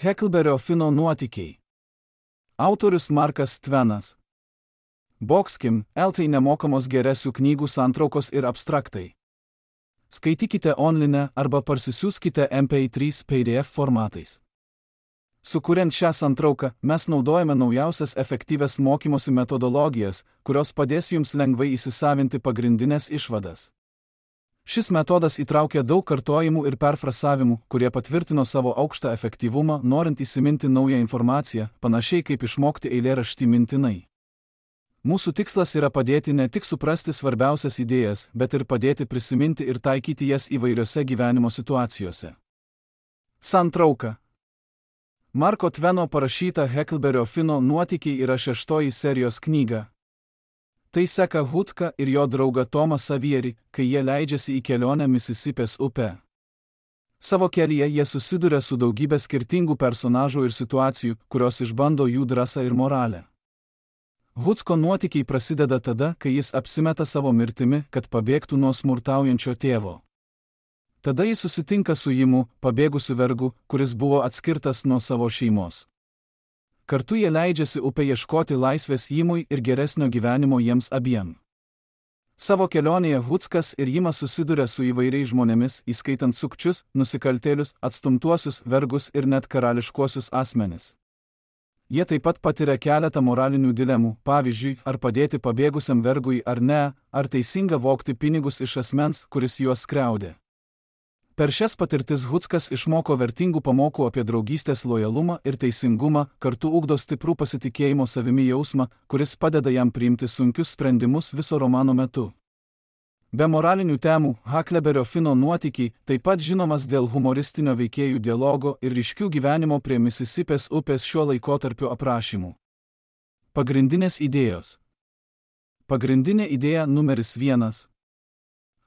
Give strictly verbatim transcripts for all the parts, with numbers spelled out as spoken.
Heklberio Fino nuotykiai. Autorius Markas Tvenas. Boxkim, Eltai nemokamos geresių knygų santraukos ir abstraktai. Skaitykite online arba parsisiųskite M P trys P D F formatais. Sukuriant šią santrauką, mes naudojame naujausias efektyvias mokymosi metodologijas, kurios padės jums lengvai įsisavinti pagrindinės išvadas. Šis metodas įtraukia daug kartojimų ir perfrasavimų, kurie patvirtino savo aukštą efektyvumą, norint įsiminti naują informaciją, panašiai kaip išmokti eilėraštį mintinai. Mūsų tikslas yra padėti ne tik suprasti svarbiausias idėjas, bet ir padėti prisiminti ir taikyti jas įvairiose gyvenimo situacijose. Santrauka. Marko Tveno parašyta Heklberio Fino nuotykiai yra šeštoji serijos knyga. Tai seka Hutką ir jo draugą Tomą Savierį, kai jie leidžiasi į kelionę Misisipės upe. Savo kelyje jie susiduria su daugybė skirtingų personažų ir situacijų, kurios išbando jų drąsą ir moralę. Hutsko nuotykiai prasideda tada, kai jis apsimeta savo mirtimi, kad pabėgtų nuo smurtaujančio tėvo. Tada jis susitinka su Jimu, pabėgusiu vergu, kuris buvo atskirtas nuo savo šeimos. Kartu jie leidžiasi upę ieškoti laisvės Jimui ir geresnio gyvenimo jiems abiem. Savo kelionėje Hutskas ir Jimas susiduria su įvairiais žmonėmis, įskaitant sukčius, nusikaltėlius, atstumtuosius, vergus ir net karališkuosius asmenis. Jie taip pat patiria keletą moralinių dilemų, pavyzdžiui, ar padėti pabėgusiam vergui ar ne, ar teisinga vogti pinigus iš asmens, kuris juos skriaudė. Per šias patirtis Hutskas išmoko vertingų pamokų apie draugystės lojalumą ir teisingumą, kartu ugdo stiprų pasitikėjimo savimi jausmą, kuris padeda jam priimti sunkius sprendimus viso romano metu. Be moralinių temų, Heklberio Fino nuotykiai taip pat žinomas dėl humoristinio veikėjų dialogo ir ryškių gyvenimo prie Misisipės upės šiuo laikotarpiu aprašymų. Pagrindinės idėjos. Pagrindinė idėja numeris vienas.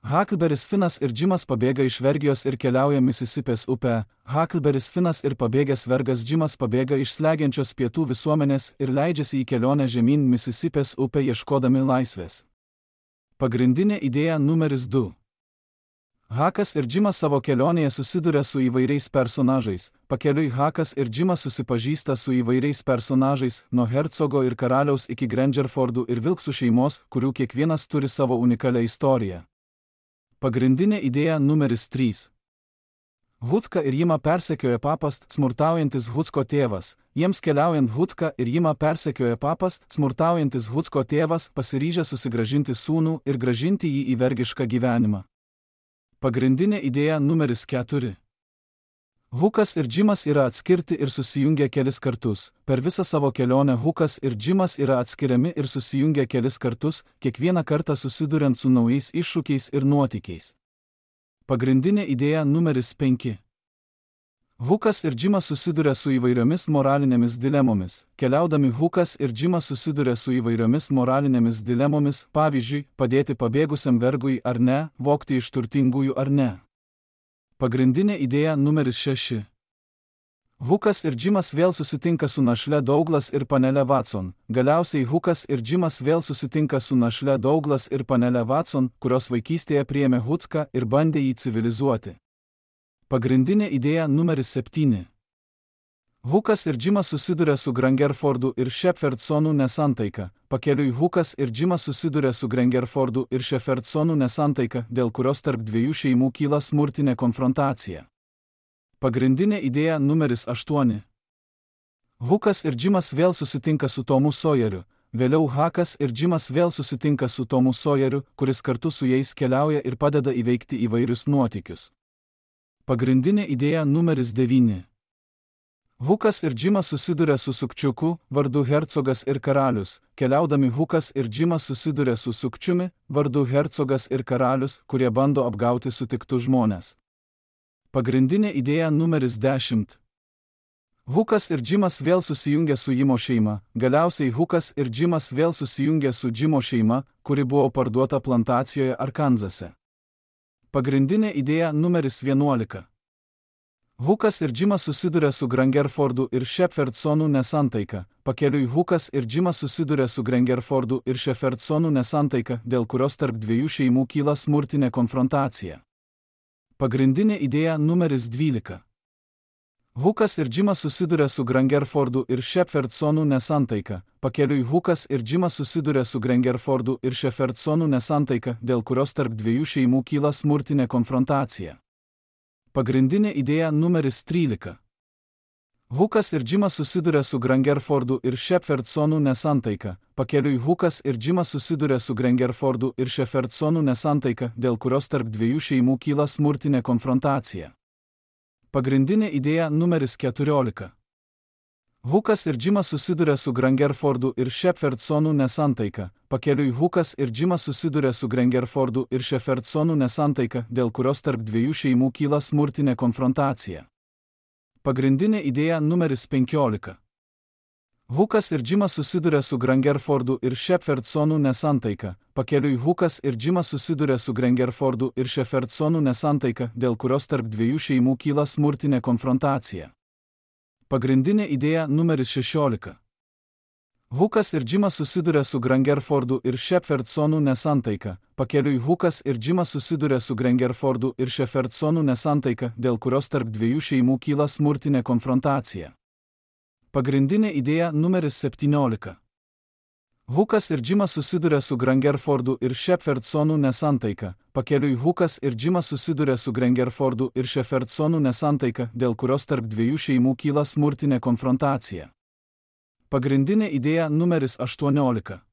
Heklberis Finas ir Džimas pabėga iš vergijos ir keliauja Misisipės upe. Heklberis Finas ir pabėgęs vergas Džimas pabėga iš slegiančios pietų visuomenės ir leidžiasi į kelionę žemyn Misisipės upę ieškodami laisvės. Pagrindinė idėja numeris du. Hekas ir Džimas savo kelionėje susiduria su įvairiais personažais. Pakeliui Hekas ir Džimas susipažįsta su įvairiais personažais, nuo hercogo ir karaliaus iki Grangerfordų ir Vilksų šeimos, kurių kiekvienas turi savo unikalią istoriją. Pagrindinė idėja numeris trys. Hutką ir Jimą persekioja papas, smurtaujantis Hutsko tėvas. Jiems keliaujant Hutką ir Jimą persekioja papas, smurtaujantis Hutsko tėvas, pasiryžę susigrąžinti sūnų ir grąžinti jį į vergišką gyvenimą. Pagrindinė idėja numeris keturi. Hukas ir Džimas yra atskirti ir susijungia kelis kartus. Per visą savo kelionę Hukas ir Džimas yra atskiriami ir susijungia kelis kartus, kiekvieną kartą susiduriant su naujais iššūkiais ir nuotykiais. Pagrindinė idėja numeris penki. Hukas ir Džimas susiduria su įvairiomis moralinėmis dilemomis. Keliaudami Hukas ir Džimas susiduria su įvairiomis moralinėmis dilemomis, pavyzdžiui, padėti pabėgusiam vergui ar ne, vogti iš turtingųjų ar ne. Pagrindinė idėja numeris šeši. Hukas ir Džimas vėl susitinka su našle Douglas ir panele Watson. Galiausiai Hukas ir Džimas vėl susitinka su našle Douglas ir panele Watson, kurios vaikystėje priėmė Hutską ir bandė jį civilizuoti. Pagrindinė idėja numeris septyni. Hukas ir Džimas susiduria su Grangerfordu ir Shepherdsonų nesantaika. Pakeliui Hukas ir Džimas susiduria su Grangerfordu ir Shepherdsonų nesantaika, dėl kurios tarp dviejų šeimų kyla smurtinė konfrontacija. Pagrindinė idėja numeris aštuoni. Hukas ir Džimas vėl susitinka su Tomu Sawyeriu. Vėliau Hekas ir Džimas vėl susitinka su Tomu Sawyeriu, kuris kartu su jais keliauja ir padeda įveikti įvairius nuotykius. Pagrindinė idėja numeris devyni. Hukas ir Džimas susiduria su sukčiuku, vardu hercogas ir karalius. Keliaudami Hukas ir Džimas susiduria su sukčiumi, vardu hercogas ir karalius, kurie bando apgauti sutiktus žmonės. Pagrindinė idėja numeris dešimt. Hukas ir Džimas vėl susijungia su Jimo šeima. Galiausiai Hukas ir Džimas vėl susijungia su Džimo šeima, kuri buvo parduota plantacijoje Arkanzase. Pagrindinė idėja numeris vienuolika. Hukas ir Džimas susiduria su Grangerfordu ir Shepherdsonų nesantaika. Pakeliui Hukas ir Džimas susiduria su Grangerfordu ir Shepherdsonų nesantaika, dėl kurios tarp dviejų šeimų kyla smurtinė konfrontacija. Pagrindinė idėja numeris dvylika. Hukas ir Džimas susiduria su Grangerfordu ir Shepherdsonu nesantaika. Pakeliui Hukas ir Džimas susiduria su Grangerfordu ir Shepherdsonu nesantaika, dėl kurios tarp dviejų šeimų kyla smurtinė konfrontacija. Pagrindinė idėja numeris trylika. Hukas ir Džimas susiduria su Grangerfordu ir Shepherdsonu nesantaika. Pakeliui Hukas ir Džimas susiduria su Grangerfordu ir Shepherdsonu nesantaika, dėl kurios tarp dviejų šeimų kyla smurtinė konfrontacija. Pagrindinė idėja numeris keturiolika. Hukas ir Džimas susiduria su Grangerfordu ir Shepherdsonu nesantaika. Pakeliui Hukas ir Džimas susiduria su Grangerfordu ir Shepherdsonu nesantaika, dėl kurios tarp dviejų šeimų kyla smurtinė konfrontacija. Pagrindinė idėja numeris penkiolika. Hukas ir Džimas susiduria su Grangerfordu ir Shepherdsonu nesantaika. Pakeliui Hukas ir Džimas susiduria su Grangerfordu ir Shepherdsonu nesantaika, dėl kurios tarp dviejų šeimų kyla smurtinė konfrontacija. Pagrindinė idėja numeris šešiolika. Hukas ir Džimas susiduria su Grangerfordu ir Shepherdsonu nesantaika. Pakeliui Hukas ir Džimas susiduria su Grangerfordu ir Shepherdsonu nesantaika, dėl kurios tarp dviejų šeimų kyla smurtinė konfrontacija. Pagrindinė idėja numeris septyniolika. Hukas ir Džimas susiduria su Grangerfordu ir Shepherdsonu nesantaika. Pakeliui Hukas ir Džimas susiduria su Grangerfordu ir Shepherdsonu nesantaika, dėl kurios tarp dviejų šeimų kyla smurtinė konfrontacija. Pagrindinė idėja numeris aštuoniolika.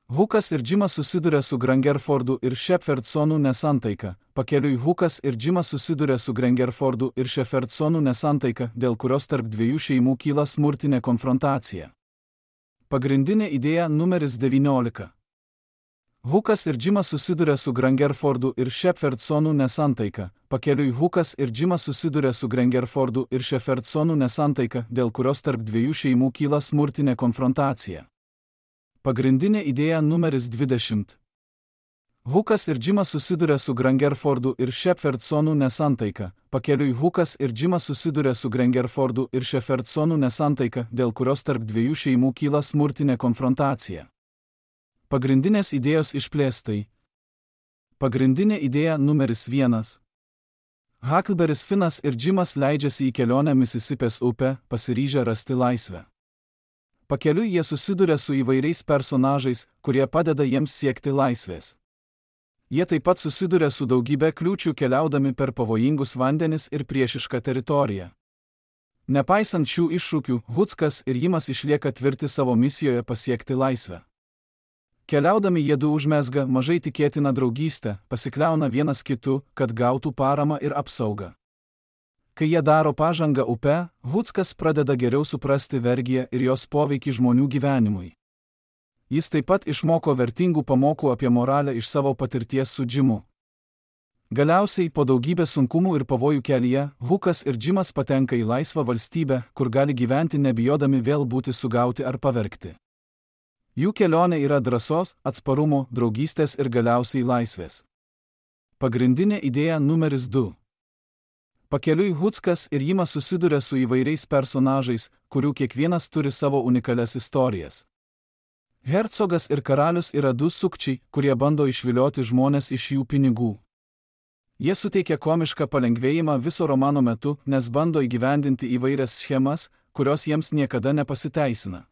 Hukas ir Džimas susiduria su Grangerfordu ir Shepherdsonu nesantaika. Pakeliui Hukas ir Džimas susiduria su Grangerfordu ir Shepherdsonu nesantaika, dėl kurios tarp dviejų šeimų kyla smurtinė konfrontacija. Pagrindinė idėja numeris devyniolika. Hukas ir Džimas susiduria su Grangerfordu ir Shepherdsonu nesantaika. Pakeliui Hukas ir Džimas susiduria su Grangerfordu ir Shepherdsonu nesantaika, dėl kurios tarp dviejų šeimų kyla smurtinė konfrontacija. Pagrindinė idėja numeris dvidešimt. Hukas ir Džimas susiduria su Grangerfordu ir Shepherdsonu nesantaika. Pakeliui Hukas ir Džimas susiduria su Grangerfordu ir Shepherdsonu nesantaika, dėl kurios tarp dviejų šeimų kyla smurtinė konfrontacija. Pagrindinės idėjos išplėstai. Pagrindinė idėja numeris vienas. Huckleberrys Finas ir Džimas leidžiasi į kelionę Misisipės upę, pasiryžę rasti laisvę. Pakeliui jie susiduria su įvairiais personažais, kurie padeda jiems siekti laisvės. Jie taip pat susiduria su daugybė kliūčių keliaudami per pavojingus vandenis ir priešišką teritoriją. Nepaisant šių iššūkių, Huckas ir Jimas išlieka tvirti savo misijoje pasiekti laisvę. Keliaudami jie du užmezga mažai tikėtiną draugystę, pasikliauna vienas kitu, kad gautų paramą ir apsaugą. Kai jie daro pažangą upe, Huckas pradeda geriau suprasti vergiją ir jos poveikį žmonių gyvenimui. Jis taip pat išmoko vertingų pamokų apie moralę iš savo patirties su Džimu. Galiausiai, po daugybės sunkumų ir pavojų kelyje, Hukas ir Džimas patenka į laisvą valstybę, kur gali gyventi nebijodami vėl būti sugauti ar pavergti. Jų kelionė yra drąsos, atsparumo, draugystės ir galiausiai laisvės. Pagrindinė idėja numeris du. Pakeliui Huckas ir Jimas susiduria su įvairiais personažais, kurių kiekvienas turi savo unikalias istorijas. Hercogas ir karalius yra du sukčiai, kurie bando išvilioti žmones iš jų pinigų. Jie suteikia komišką palengvėjimą viso romano metu, nes bando įgyvendinti įvairias schemas, kurios jiems niekada nepasiteisina.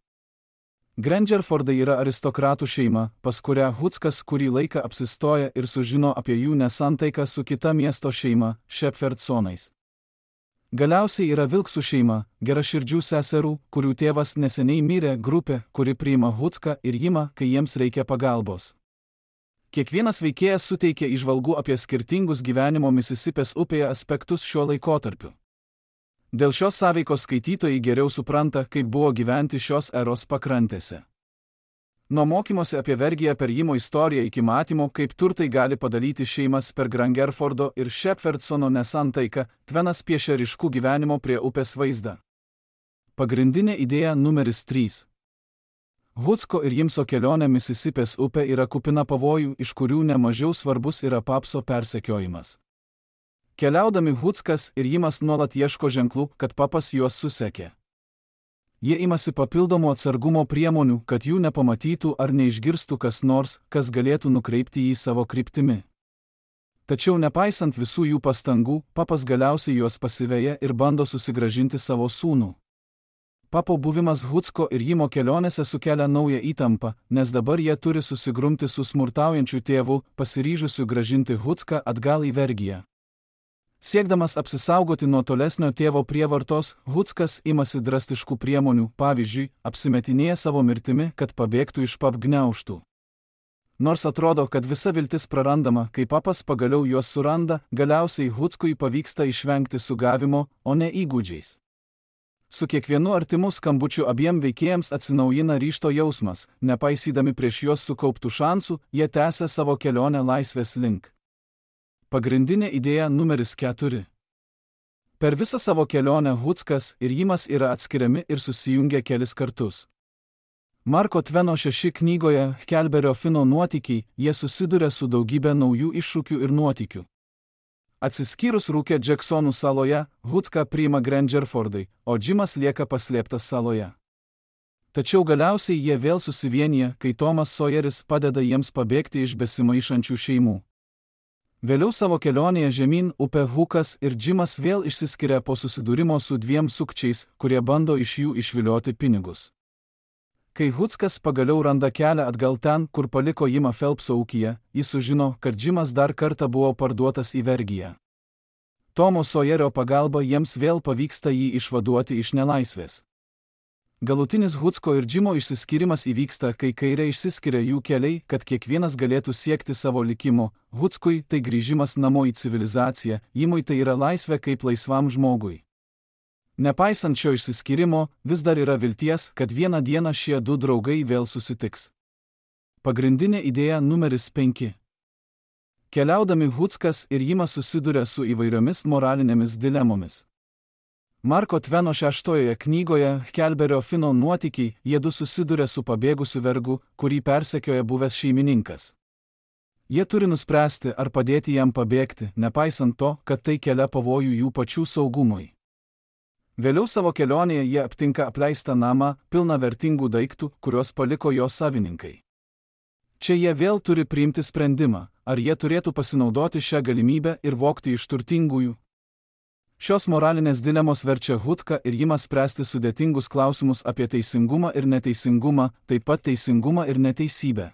Grangerfordai yra aristokratų šeima, pas kurią Huckas kurį laiką apsistoja ir sužino apie jų nesantaiką su kita miesto šeima, Shepherdsonais. Galiausiai yra Vilksų šeima, geraširdžių seserų, kurių tėvas neseniai mirė, grupė, kuri priima Hucką ir Jimą, kai jiems reikia pagalbos. Kiekvienas veikėjas suteikia įžvalgų apie skirtingus gyvenimo Misisipės upėje aspektus šiuo laikotarpiu. Dėl šios sąveikos skaitytojai geriau supranta, kaip buvo gyventi šios eros pakrantėse. Nuo mokymosi apie vergiją per Jimo istoriją iki matymo, kaip turtai gali padalyti šeimas per Grangerfordo ir Shepherdsono nesantaiką, Tvenas piešia ryškų gyvenimo prie upės vaizdą. Pagrindinė idėja numeris trys. Hucko ir Jimso kelionė Misisipės upė yra kupina pavojų, iš kurių nemažiau svarbus yra Papso persekiojimas. Keliaudami Huckas ir Jimas nuolat ieško ženklų, kad Papas juos susekė. Jie imasi papildomų atsargumo priemonių, kad jų nepamatytų ar neišgirstų kas nors, kas galėtų nukreipti jį savo kryptimi. Tačiau nepaisant visų jų pastangų, papas galiausiai juos pasiveja ir bando susigrąžinti savo sūnų. Papo buvimas Hucko ir Jimo kelionėse sukelia naują įtampą, nes dabar jie turi susigrumti su smurtaujančiu tėvu, pasiryžusiu grąžinti Hucką atgal į vergiją. Siekdamas apsisaugoti nuo tolesnio tėvo prievartos, Huckas imasi drastiškų priemonių, pavyzdžiui, apsimetinėja savo mirtimi, kad pabėgtų iš pap gniaužtų. Nors atrodo, kad visa viltis prarandama, kai papas pagaliau juos suranda, galiausiai Huckui pavyksta išvengti sugavimo, o ne įgūdžiais. Su kiekvienu artimu skambučiu abiem veikėjams atsinaujina ryžto jausmas, nepaisydami prieš juos sukauptų šansų, jie tęsia savo kelionę laisvės link. Pagrindinė idėja numeris keturi. Per visą savo kelionę Huckas ir Jimas yra atskiriami ir susijungia kelis kartus. Marko Tveno šeši knygoje Kelberio Fino nuotykiai, jie susiduria su daugybė naujų iššūkių ir nuotykių. Atsiskyrus rūke Džeksonų saloje, Hucką priima Grangerfordai, o Jimas lieka paslėptas saloje. Tačiau galiausiai jie vėl susivienyje, kai Tomas Sawyeris padeda jiems pabėgti iš besimaišančių šeimų. Vėliau savo kelionėje žemyn upė Huckas ir Jimas vėl išsiskiria po susidūrimo su dviem sukčiais, kurie bando iš jų išvilioti pinigus. Kai Huckas pagaliau randa kelią atgal ten, kur paliko Jimą Phelpso ūkyje, jis sužino, kad Jimas dar kartą buvo parduotas į vergiją. Tomo Sawyerio pagalba jiems vėl pavyksta jį išvaduoti iš nelaisvės. Galutinis Hucko ir Jimo išsiskyrimas įvyksta, kai kairė išsiskiria jų keliai, kad kiekvienas galėtų siekti savo likimo. Huckui tai grįžimas namo į civilizaciją, Jimui tai yra laisvė kaip laisvam žmogui. Nepaisant šio išsiskyrimo, vis dar yra vilties, kad vieną dieną šie du draugai vėl susitiks. Pagrindinė idėja numeris penki. Keliaudami Huckas ir Jimas susiduria su įvairiomis moralinėmis dilemomis. Marko Tveno šeštojoje knygoje Kelberio Fino nuotykiai jiedu susiduria su pabėgusiu vergu, kurį persekioja buvęs šeimininkas. Jie turi nuspręsti, ar padėti jam pabėgti, nepaisant to, kad tai kelia pavojų jų pačių saugumui. Vėliau savo kelionėje jie aptinka apleistą namą, pilną vertingų daiktų, kuriuos paliko jo savininkai. Čia jie vėl turi priimti sprendimą, ar jie turėtų pasinaudoti šią galimybę ir vogti iš turtingųjų. Šios moralinės dilemos verčia Hucką ir Jimą spręsti sudėtingus klausimus apie teisingumą ir neteisingumą, taip pat teisingumą ir neteisybę.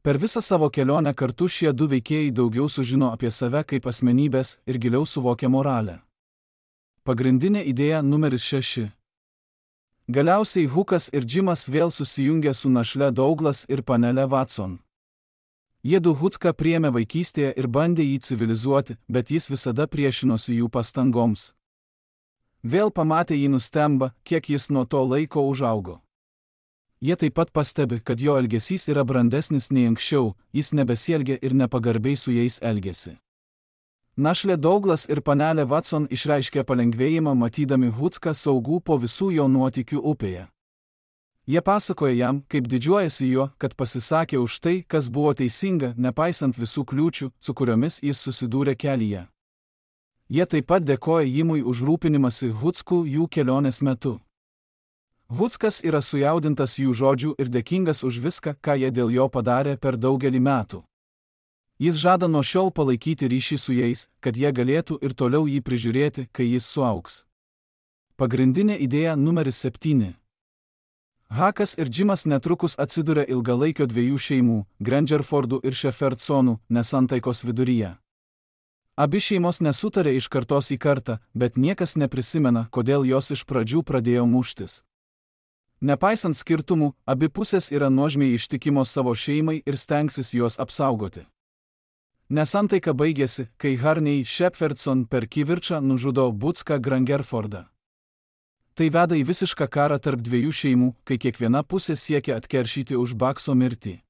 Per visą savo kelionę kartu šie du veikėjai daugiau sužino apie save kaip asmenybės ir giliau suvokia moralę. Pagrindinė idėja numeris šeši. Galiausiai Huckas ir Jimas vėl susijungia su našle Douglas ir panele Watson. Jiedu Hucką priėmė vaikystėje ir bandė jį civilizuoti, bet jis visada priešinosi jų pastangoms. Vėl pamatę jį nustemba, kiek jis nuo to laiko užaugo. Jie taip pat pastebi, kad jo elgesys yra brandesnis nei anksčiau, jis nebesielgia ir nepagarbiai su jais elgesi. Našlė Douglas ir panelė Watson išreiškė palengvėjimą matydami Hucką saugų po visų jo nuotykių upėje. Jie pasakoja jam, kaip didžiuojasi juo, kad pasisakė už tai, kas buvo teisinga, nepaisant visų kliūčių, su kuriomis jis susidūrė kelyje. Jie taip pat dėkoja Jimui už rūpinimąsi Hucku jų kelionės metu. Huckas yra sujaudintas jų žodžių ir dėkingas už viską, ką jie dėl jo padarė per daugelį metų. Jis žada nuo šiol palaikyti ryšį su jais, kad jie galėtų ir toliau jį prižiūrėti, kai jis suaugs. Pagrindinė idėja numeris septyni. Huckas ir Jimas netrukus atsiduria ilgalaikio dviejų šeimų, Grangerfordų ir Shepherdsonų, nesantaikos viduryje. Abi šeimos nesutarė iš kartos į kartą, bet niekas neprisimena, kodėl jos iš pradžių pradėjo muštis. Nepaisant skirtumų, abi pusės yra nuožmiai ištikimos savo šeimai ir stengsis juos apsaugoti. Nesantaika baigėsi, kai Harney Shepherdson per kivirčą nužudo Bucką Grangerfordą. Tai veda į visišką karą tarp dviejų šeimų, kai kiekviena pusė siekia atkeršyti už Bakso mirtį.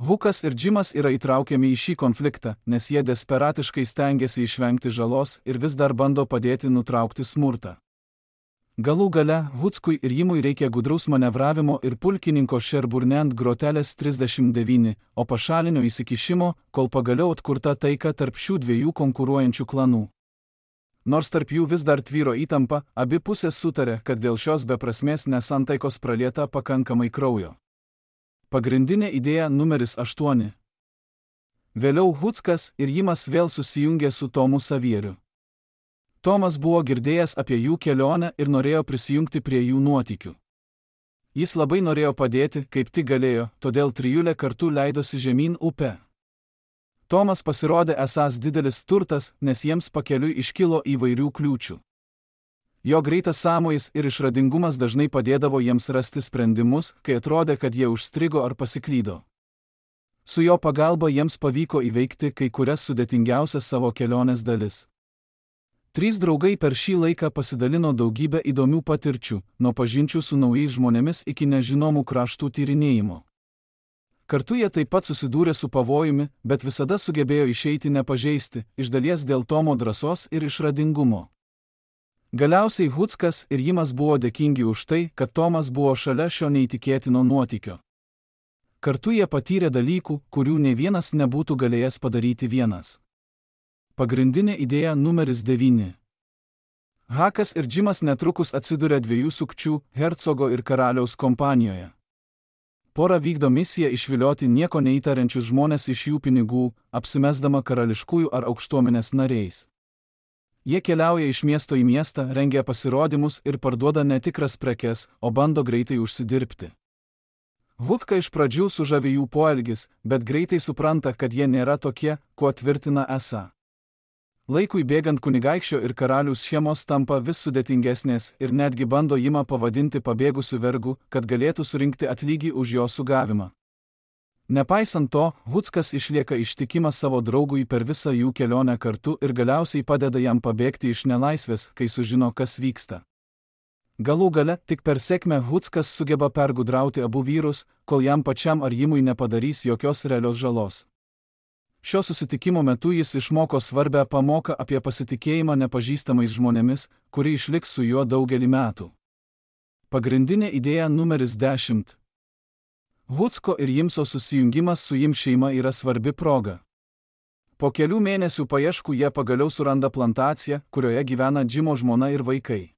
Huckas ir Jimas yra įtraukiami į šį konfliktą, nes jie desperatiškai stengiasi išvengti žalos ir vis dar bando padėti nutraukti smurtą. Galų gale, Huckui ir Jimui reikia gudraus manevravimo ir pulkininko Sherburne grotelės trisdešimt devyni, o pašalinio įsikišimo, kol pagaliau atkurta taika tarp šių dviejų konkuruojančių klanų. Nors tarp jų vis dar tvyro įtampa, abi pusės sutarė, kad dėl šios beprasmės nesantaikos pralieta pakankamai kraujo. Pagrindinė idėja numeris aštuoni. Vėliau Huckas ir Jimas vėl susijungė su Tomu Savieriu. Tomas buvo girdėjęs apie jų kelionę ir norėjo prisijungti prie jų nuotykių. Jis labai norėjo padėti, kaip tik galėjo, todėl trijulė kartu leidosi žemyn upę. Tomas pasirodė esąs didelis turtas, nes jiems pakeliui iškilo įvairių kliūčių. Jo greitas sąmojis ir išradingumas dažnai padėdavo jiems rasti sprendimus, kai atrodė, kad jie užstrigo ar pasiklydo. Su jo pagalba jiems pavyko įveikti kai kurias sudėtingiausias savo kelionės dalis. Trys draugai per šį laiką pasidalino daugybę įdomių patirčių, nuo pažinčių su naujais žmonėmis iki nežinomų kraštų tyrinėjimo. Kartu jie taip pat susidūrė su pavojumi, bet visada sugebėjo išeiti nepažeisti, iš dalies dėl Tomo drąsos ir išradingumo. Galiausiai Huckas ir Jimas buvo dėkingi už tai, kad Tomas buvo šalia šio neįtikėtino nuotykio. Kartu jie patyrė dalykų, kurių ne vienas nebūtų galėjęs padaryti vienas. Pagrindinė idėja numeris devyni. Hakas ir Džimas netrukus atsiduria dviejų sukčių, hercogo ir karaliaus kompanijoje. Pora vykdo misiją išvilioti nieko neįtariančius žmonės iš jų pinigų, apsimesdama karališkųjų ar aukštuomenės nariais. Jie keliauja iš miesto į miestą, rengia pasirodymus ir parduoda netikras prekes, o bando greitai užsidirbti. Hucką iš pradžių sužavi jų poelgis, bet greitai supranta, kad jie nėra tokie, kuo tvirtina esą. Laikui bėgant kunigaikščio ir karalių schemos tampa vis sudėtingesnės ir netgi bando Jimą pavadinti pabėgusiu vergu, kad galėtų surinkti atlygį už jo sugavimą. Nepaisant to, Huckas išlieka ištikimas savo draugui per visą jų kelionę kartu ir galiausiai padeda jam pabėgti iš nelaisvės, kai sužino, kas vyksta. Galų gale, tik per sėkmę Huckas sugeba pergudrauti abu vyrus, kol jam pačiam ar Jimui nepadarys jokios realios žalos. Šio susitikimo metu jis išmoko svarbią pamoką apie pasitikėjimą nepažįstamais žmonėmis, kuri išliks su juo daugelį metų. Pagrindinė idėja numeris dešimt. Hucko ir Jimso susijungimas su Jim šeima yra svarbi proga. Po kelių mėnesių paieškų jie pagaliau suranda plantaciją, kurioje gyvena Džimo žmona ir vaikai.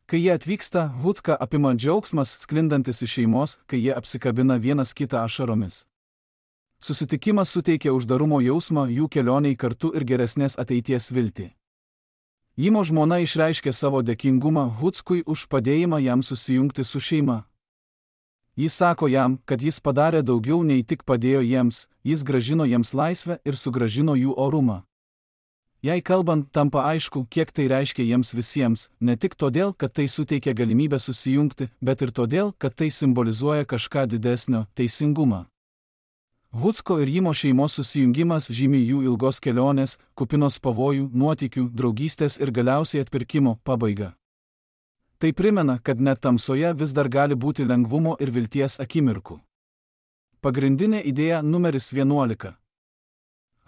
Kai jie atvyksta, Hucką apima džiaugsmas sklindantis iš šeimos, kai jie apsikabina vienas kitą ašaromis. Susitikimas suteikia uždarumo jausmą jų kelioniai kartu ir geresnės ateities viltį. Jimo žmona išreiškė savo dėkingumą Huckui už padėjimą jam susijungti su šeima. Jis sako jam, kad jis padarė daugiau nei tik padėjo jiems, jis grąžino jiems laisvę ir sugrąžino jų orumą. Jei kalbant, tampa aišku, kiek tai reiškia jiems visiems, ne tik todėl, kad tai suteikia galimybę susijungti, bet ir todėl, kad tai simbolizuoja kažką didesnio – teisingumą. Hucko ir Jimo šeimos susijungimas žymi jų ilgos kelionės, kupinos pavojų, nuotykių, draugystės ir galiausiai atpirkimo pabaigą. Tai primena, kad net tamsoje vis dar gali būti lengvumo ir vilties akimirkų. Pagrindinė idėja numeris vienuolika.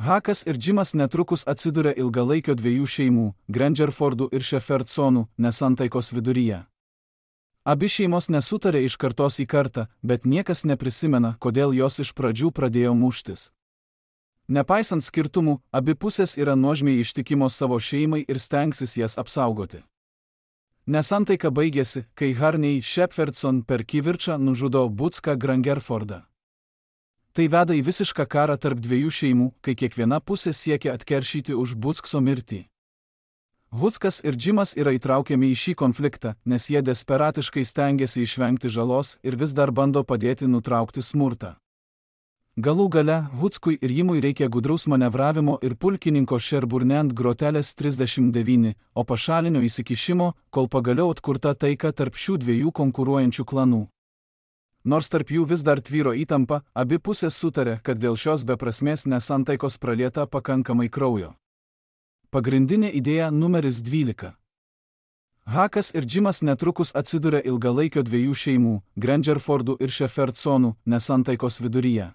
Hakas ir Džimas netrukus atsiduria ilgalaikio dviejų šeimų, Grangerfordų ir Shepherdsonų, nesantaikos viduryje. Abi šeimos nesutarė iš kartos į kartą, bet niekas neprisimena, kodėl jos iš pradžių pradėjo muštis. Nepaisant skirtumų, abi pusės yra nuožmiai ištikimos savo šeimai ir stengsis jas apsaugoti. Nesantaika baigėsi, kai Harney Shepherdson per kivirčą nužudo Bucką Grangerfordą. Tai veda į visišką karą tarp dviejų šeimų, kai kiekviena pusė siekia atkeršyti už Buckso mirtį. Huckas ir Džimas yra įtraukiami į šį konfliktą, nes jie desperatiškai stengiasi išvengti žalos ir vis dar bando padėti nutraukti smurtą. Galų gale, Huckui ir Jimui reikia gudraus manevravimo ir pulkininko Sherburne grotelės trisdešimt devyni, o pašalinio įsikišimo, kol pagaliau atkurta taika tarp šių dviejų konkuruojančių klanų. Nors tarp jų vis dar tvyro įtampa, abi pusės sutarė, kad dėl šios beprasmės nesantaikos pralieta pakankamai kraujo. Pagrindinė idėja numeris dvylika. Hakas ir Džimas netrukus atsiduria ilgalaikio dviejų šeimų, Grangerfordų ir Shepherdsonų, nesantaikos viduryje.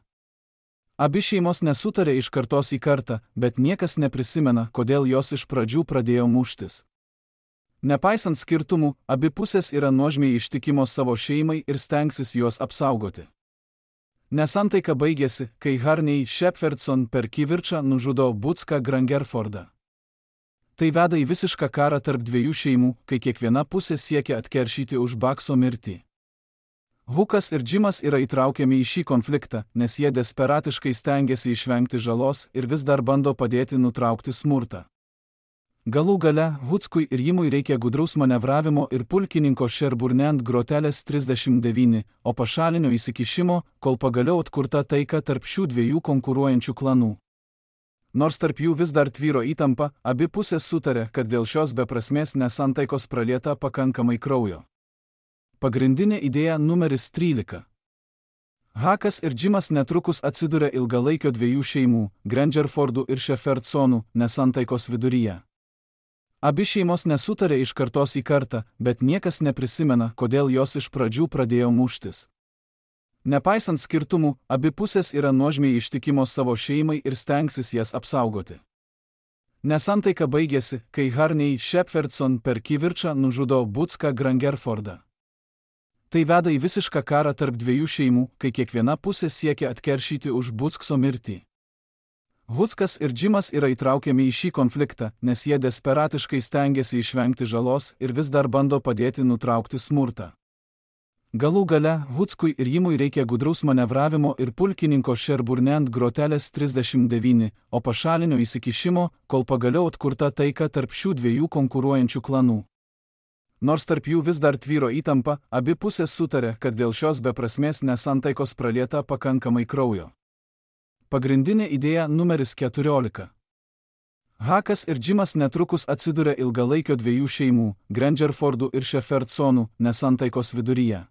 Abi šeimos nesutarė iš kartos į kartą, bet niekas neprisimena, kodėl jos iš pradžių pradėjo muštis. Nepaisant skirtumų, abi pusės yra nuožmiai ištikimos savo šeimai ir stengsis juos apsaugoti. Nesantaika baigėsi, kai Harney Shepherdson per kivirčą nužudo Bucką Grangerfordą. Tai veda į visišką karą tarp dviejų šeimų, kai kiekviena pusė siekia atkeršyti už Buckso mirtį. Hukas ir Džimas yra įtraukiami į šį konfliktą, nes jie desperatiškai stengiasi išvengti žalos ir vis dar bando padėti nutraukti smurtą. Galų gale, Huckui ir Jimui reikia gudraus manevravimo ir pulkininko Sherburne grotelės trisdešimt devyni, o pašalinio įsikišimo, kol pagaliau atkurta taika tarp šių dviejų konkuruojančių klanų. Nors tarp jų vis dar tvyro įtampa, abi pusės sutarė, kad dėl šios beprasmės nesantaikos pralieta pakankamai kraujo. Pagrindinė idėja numeris trylika. Hakas ir Džimas netrukus atsiduria ilgalaikio dviejų šeimų, Grangerfordų ir Shepherdsonų, nesantaikos viduryje. Abi šeimos nesutarė iš kartos į kartą, bet niekas neprisimena, kodėl jos iš pradžių pradėjo muštis. Nepaisant skirtumų, abi pusės yra nuožmiai ištikimos savo šeimai ir stengsis jas apsaugoti. Nesantaika baigėsi, kai Harney Shepherdson per kivirčą nužudo Bucką Grangerfordą. Tai veda į visišką karą tarp dviejų šeimų, kai kiekviena pusė siekia atkeršyti už Buckso mirtį. Huckas ir Džimas yra įtraukiami į šį konfliktą, nes jie desperatiškai stengiasi išvengti žalos ir vis dar bando padėti nutraukti smurtą. Galų gale, Huckui ir Jimui reikia gudraus manevravimo ir pulkininko Sherburne grotelės trisdešimt devyni, o pašalinio įsikišimo, kol pagaliau atkurta taika tarp šių dviejų konkuruojančių klanų. Nors tarp jų vis dar tvyro įtampa, abi pusės sutarė, kad dėl šios beprasmės nesantaikos pralieta pakankamai kraujo. Pagrindinė idėja numeris keturiolika. Hakas ir Džimas netrukus atsiduria ilgalaikio dviejų šeimų, Grangerfordų ir Shepherdsonų, nesantaikos viduryje.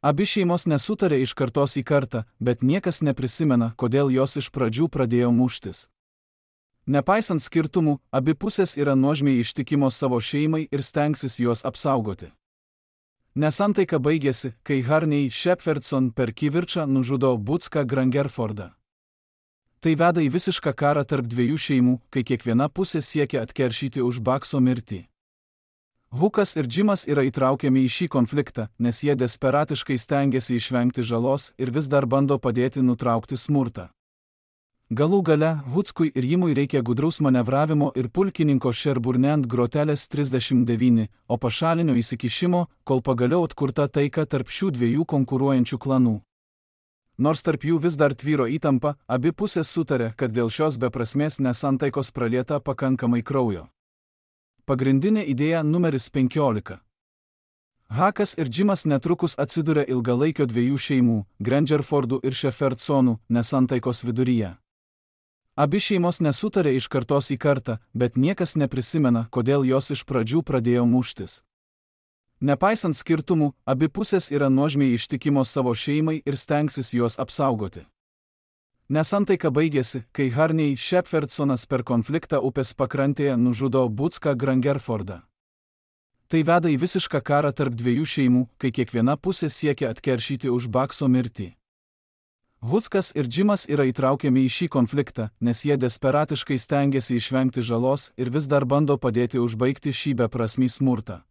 Abi šeimos nesutarė iš kartos į kartą, bet niekas neprisimena, kodėl jos iš pradžių pradėjo muštis. Nepaisant skirtumų, abi pusės yra nuožmiai ištikimos savo šeimai ir stengsis juos apsaugoti. Nesantaika baigėsi, kai Harney Shepherdson per kivirčą nužudo Bucką Grangerfordą. Tai veda į visišką karą tarp dviejų šeimų, kai kiekviena pusė siekia atkeršyti už Buckso mirtį. Hukas ir Džimas yra įtraukiami į šį konfliktą, nes jie desperatiškai stengiasi išvengti žalos ir vis dar bando padėti nutraukti smurtą. Galų gale, Huckui ir Jimui reikia gudraus manevravimo ir pulkininko Sherburne grotelės trisdešimt devyni, o pašalinio įsikišimo, kol pagaliau atkurta taika tarp šių dviejų konkuruojančių klanų. Nors tarp jų vis dar tvyro įtampa, abi pusės sutarė, kad dėl šios beprasmės nesantaikos pralieta pakankamai kraujo. Pagrindinė idėja numeris penkiolika. Hakas ir Džimas netrukus atsiduria ilgalaikio dviejų šeimų, Grangerfordų ir Shepherdsonų, nesantaikos viduryje. Abi šeimos nesutarė iš kartos į kartą, bet niekas neprisimena, kodėl jos iš pradžių pradėjo muštis. Nepaisant skirtumų, abi pusės yra nuožmiai ištikimos savo šeimai ir stengsis juos apsaugoti. Nesantaika baigėsi, kai Harney Shepherdsonas per konfliktą upės pakrantėje nužudo Bucką Grangerfordą. Tai veda į visišką karą tarp dviejų šeimų, kai kiekviena pusė siekia atkeršyti už Buckso mirtį. Huckas ir Džimas yra įtraukiami į šį konfliktą, nes jie desperatiškai stengiasi išvengti žalos ir vis dar bando padėti užbaigti šį beprasmį smurtą.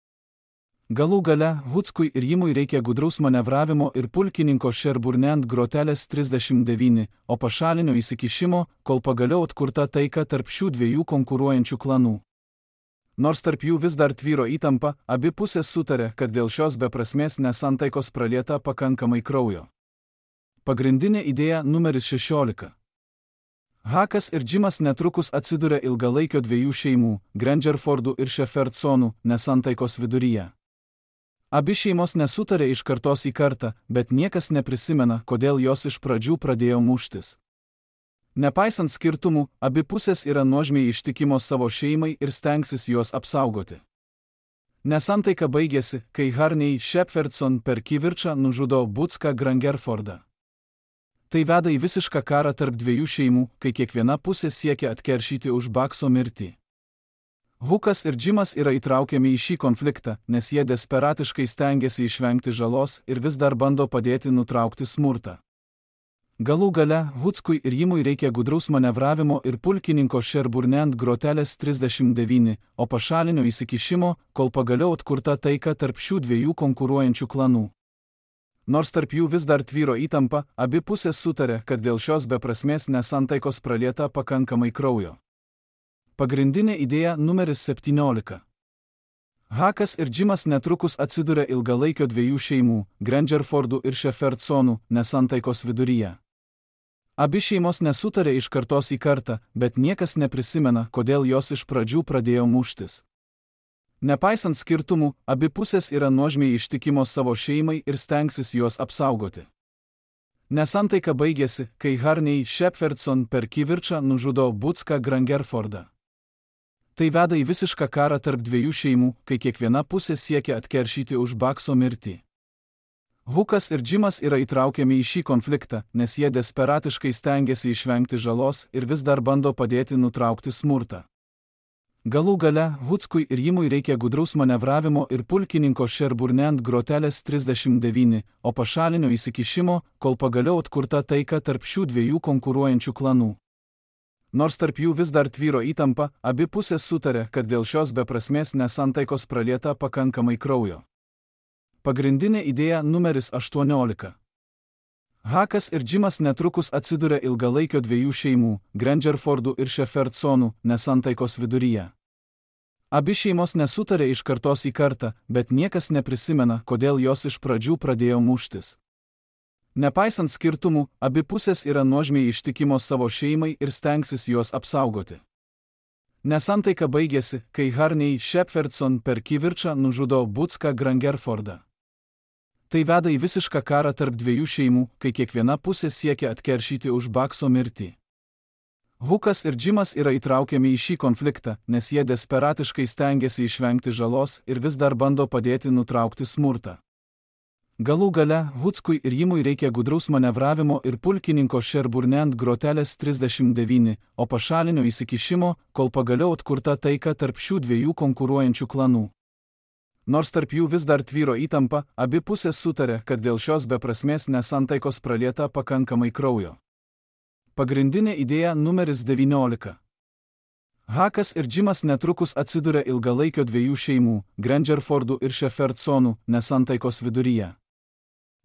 Galų gale, Huckui ir Jimui reikia gudraus manevravimo ir pulkininko Sherburne grotelės trisdešimt devyni, o pašalinio įsikišimo, kol pagaliau atkurta taika tarp šių dviejų konkuruojančių klanų. Nors tarp jų vis dar tvyro įtampa, abi pusės sutarė, kad dėl šios beprasmės nesantaikos pralieta pakankamai kraujo. Pagrindinė idėja numeris šešiolika. Hakas ir Džimas netrukus atsiduria ilgalaikio dviejų šeimų, Grangerfordų ir Shepherdsonų, nesantaikos viduryje. Abi šeimos nesutarė iš kartos į kartą, bet niekas neprisimena, kodėl jos iš pradžių pradėjo muštis. Nepaisant skirtumų, abi pusės yra nuožmiai ištikimos savo šeimai ir stengsis juos apsaugoti. Nesantaika baigėsi, kai Harney Shepherdson per kivirčą nužudo Bucką Grangerfordą. Tai veda į visišką karą tarp dviejų šeimų, kai kiekviena pusė siekia atkeršyti už Buckso mirtį. Hukas ir Džimas yra įtraukiami į šį konfliktą, nes jie desperatiškai stengiasi išvengti žalos ir vis dar bando padėti nutraukti smurtą. Galų gale, Huckui ir Jimui reikia gudraus manevravimo ir pulkininko Sherburne grotelės trisdešimt devyni, o pašalinio įsikišimo, kol pagaliau atkurta taika tarp šių dviejų konkuruojančių klanų. Nors tarp jų vis dar tvyro įtampa, abi pusės sutarė, kad dėl šios beprasmės nesantaikos pralieta pakankamai kraujo. Pagrindinė idėja numeris septyniolika. Hakas ir Džimas netrukus atsiduria ilgalaikio dviejų šeimų, Grangerfordų ir Shepherdsonų, nesantaikos viduryje. Abi šeimos nesutarė iš kartos į kartą, bet niekas neprisimena, kodėl jos iš pradžių pradėjo muštis. Nepaisant skirtumų, abi pusės yra nuožmiai ištikimos savo šeimai ir stengsis juos apsaugoti. Nesantaika baigėsi, kai Harney Shepherdson per kivirčą nužudo Butską Grangerfordą. Tai veda į visišką karą tarp dviejų šeimų, kai kiekviena pusė siekia atkeršyti už Bakso mirtį. Hukas ir Džimas yra įtraukiami į šį konfliktą, nes jie desperatiškai stengiasi išvengti žalos ir vis dar bando padėti nutraukti smurtą. Galų gale, Hutskui ir Jimui reikia gudraus manevravimo ir pulkininko Sherburne grotelės trisdešimt devyni, o pašalinio įsikišimo, kol pagaliau atkurta taika tarp šių dviejų konkuruojančių klanų. Nors tarp jų vis dar tvyro įtampa, abi pusės sutarė, kad dėl šios beprasmės nesantaikos pralieta pakankamai kraujo. Pagrindinė idėja numeris aštuoniolika. Hakas ir Džimas netrukus atsiduria ilgalaikio dviejų šeimų, Grangerfordų ir Shepherdsonų, nesantaikos viduryje. Abi šeimos nesutarė iš kartos į kartą, bet niekas neprisimena, kodėl jos iš pradžių pradėjo muštis. Nepaisant skirtumų, abi pusės yra nuožmiai ištikimos savo šeimai ir stengsis juos apsaugoti. Nesantaika baigėsi, kai Harney Shepherdson per kivirčą nužudo Butską Grangerfordą. Tai veda į visišką karą tarp dviejų šeimų, kai kiekviena pusė siekia atkeršyti už Bakso mirtį. Hukas ir Džimas yra įtraukiami į šį konfliktą, nes jie desperatiškai stengiasi išvengti žalos ir vis dar bando padėti nutraukti smurtą. Galų gale, Hutskui ir Jimui reikia gudraus manevravimo ir pulkininko Sherburne grotelės trisdešimt devyni, o pašalinio įsikišimo, kol pagaliau atkurta taika tarp šių dviejų konkuruojančių klanų. Nors tarp jų vis dar tvyro įtampa, abi pusės sutarė, kad dėl šios beprasmės nesantaikos pralieta pakankamai kraujo. Pagrindinė idėja numeris devyniolika. Hakas ir Džimas netrukus atsiduria ilgalaikio dviejų šeimų, Grangerfordų ir Shepherdsonų, nesantaikos viduryje.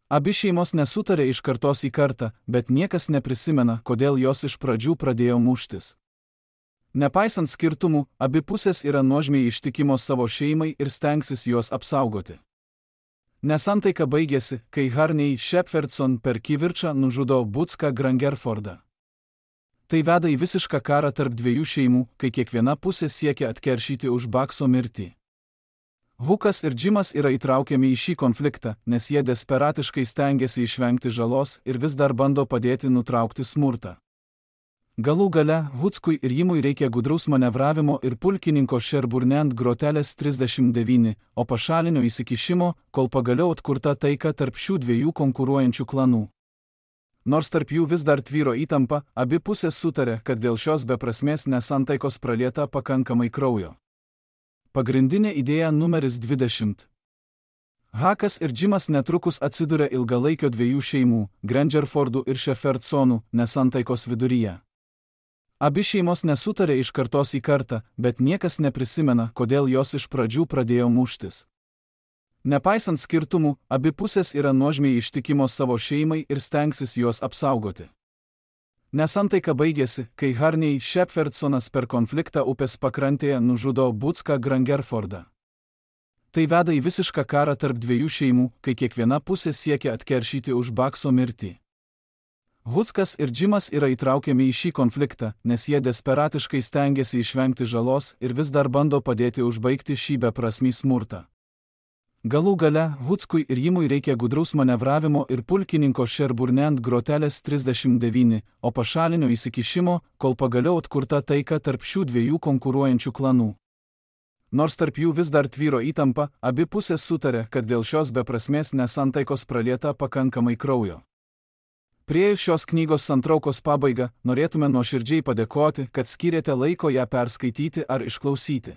Abi šeimos nesutarė iš kartos į kartą, bet niekas neprisimena, kodėl jos iš pradžių pradėjo muštis. Nepaisant skirtumų, abi pusės yra nuožmiai ištikimos savo šeimai ir stengsis juos apsaugoti. Nesantaika baigėsi, kai Harney Shepherdson per kivirčą nužudo Butską Grangerfordą. Tai veda į visišką karą tarp dviejų šeimų, kai kiekviena pusė siekia atkeršyti už Bakso mirtį. Hukas ir Džimas yra įtraukiami į šį konfliktą, nes jie desperatiškai stengiasi išvengti žalos ir vis dar bando padėti nutraukti smurtą. Galų gale, Hutskui ir Jimui reikia gudraus manevravimo ir pulkininko Sherburne grotelės trisdešimt devyni, o pašalinio įsikišimo, kol pagaliau atkurta taika tarp šių dviejų konkuruojančių klanų. Nors tarp jų vis dar tvyro įtampa, abi pusės sutarė, kad dėl šios beprasmės nesantaikos pralieta pakankamai kraujo. Pagrindinė idėja numeris dvidešimt. Hakas ir Džimas netrukus atsiduria ilgalaikio dviejų šeimų, Grangerfordų ir Shepherdsonų, nesantaikos viduryje. Abi šeimos nesutarė iš kartos į kartą, bet niekas neprisimena, kodėl jos iš pradžių pradėjo muštis. Nepaisant skirtumų, abi pusės yra nuožmiai ištikimos savo šeimai ir stengsis juos apsaugoti. Nesantaika baigėsi, kai Harney Shepherdsonas per konfliktą upės pakrantėje nužudo Butską Grangerfordą. Tai veda į visišką karą tarp dviejų šeimų, kai kiekviena pusė siekia atkeršyti už Bakso mirtį. Hutskas ir Džimas yra įtraukiami į šį konfliktą, nes jie desperatiškai stengiasi išvengti žalos ir vis dar bando padėti užbaigti šį beprasmį smurtą. Galų gale, Hutskui ir Jimui reikia gudraus manevravimo ir pulkininko Sherburne grotelės trisdešimt devyni, o pašalinio įsikišimo, kol pagaliau atkurta taika tarp šių dviejų konkuruojančių klanų. Nors tarp jų vis dar tvyro įtampa, abi pusės sutarė, kad dėl šios beprasmės nesantaikos pralieta pakankamai kraujo. Priėjus šios knygos santraukos pabaigą, norėtume nuoširdžiai padėkoti, kad skyrėte laiko ją perskaityti ar išklausyti.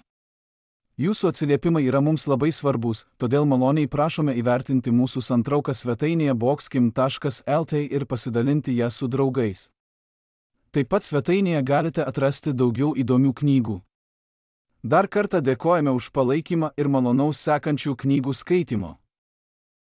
Jūsų atsiliepimai yra mums labai svarbus, todėl maloniai prašome įvertinti mūsų santrauką svetainėje boxkim taškas el t ir pasidalinti ją su draugais. Taip pat svetainėje galite atrasti daugiau įdomių knygų. Dar kartą dėkojame už palaikymą ir malonaus sekančių knygų skaitimo.